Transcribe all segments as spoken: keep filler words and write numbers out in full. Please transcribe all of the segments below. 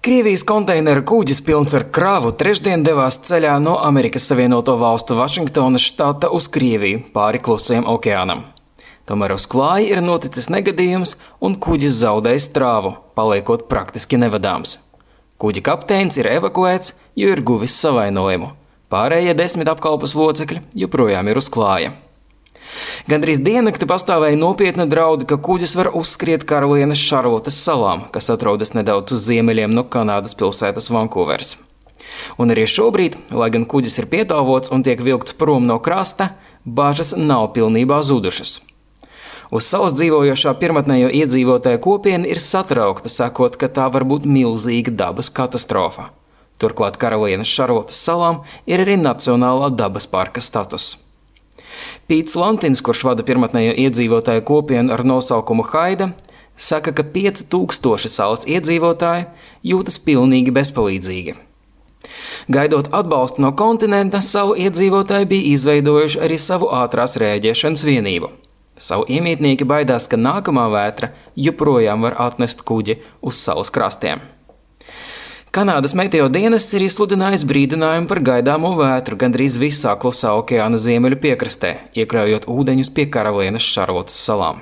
Krievijas konteineru kuģis pilns ar kravu trešdien devās ceļā no Amerikas Savienoto Valstu Vašingtonas štata uz Krieviju pāri Klusajam okeānam. Tomēr uz klāja ir noticis negadījums un kuģis zaudējis strāvu, paliekot praktiski nevadāms. Kuģa kapteinis ir evakuēts, jo ir guvis savainojumu. Pārējie desmit apkalpes locekļi joprojām ir uz klāja. Gandrīz diennakti pastāvēja nopietna draudi, ka kuģis var uzskriet Karalienes Šarlotes salām, kas atrodas nedaudz uz ziemeļiem no Kanādas pilsētas Vankūveras. Un arī šobrīd, lai gan kuģis ir pietāvots un tiek vilkts prom no krasta, bažas nav pilnībā zudušas. Uz salas dzīvojošā pirmatnējo iedzīvotāju kopiena ir satraukta, sakot, ka tā var būt milzīga dabas katastrofa. Turklāt Karalienes Šarlotes salām ir arī nacionālā dabas parka status. Pīts Lantins, kurš vada pirmatnējo iedzīvotāju kopienu ar nosaukumu Haida, saka, ka pieci tūkstoši salas iedzīvotāji jūtas pilnīgi bezpalīdzīgi. Gaidot atbalstu no kontinenta, salu iedzīvotāji bija izveidojuši arī savu ātrās rēģēšanas vienību. Savu iemītnieki baidās, ka nākamā vētra joprojām var atnest kuģi uz salas krastiem. Kanādas meteo dienests ir izsludinājis brīdinājumu par gaidāmo vētru gandrīz visā Klusā okeāna ziemeļu piekrastē, iekļaujot ūdeņus pie Karalienes Šarlotes salām.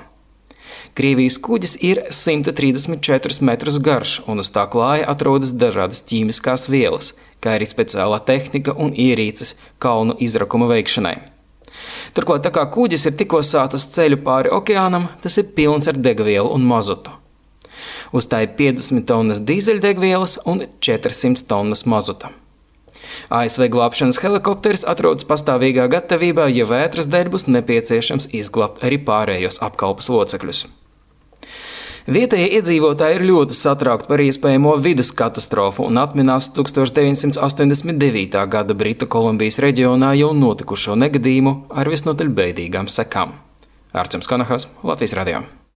Krievijas kuģis ir simt trīsdesmit četrus metrus garš, un uz tā klāja atrodas dažādas ķīmiskās vielas, kā arī speciālā tehnika un ierīces kalnu izrakuma veikšanai. Turklāt, tā kā kuģis ir tikko sācis ceļu pāri okeānam, tas ir pilns ar degvielu un mazutu. Uz tā ir piecdesmit tonnas dīzeļdegvielas un četrsimt tonnas mazuta. A S V glābšanas helikopteris atrodas pastāvīgā gatavībā, ja vētras dēļ būs nepieciešams izglābt arī pārējos apkalpes locekļus. Vietējie iedzīvotāji ir ļoti satraukti par iespējamo vides katastrofu un atminās tukstovš deviņsimt astoņdesmit devītā gada Britu Kolumbijas reģionā jau notikušo negadījumu ar visnotaļ bēdīgām sekām. Arčuns Konahas, Latvijas radio.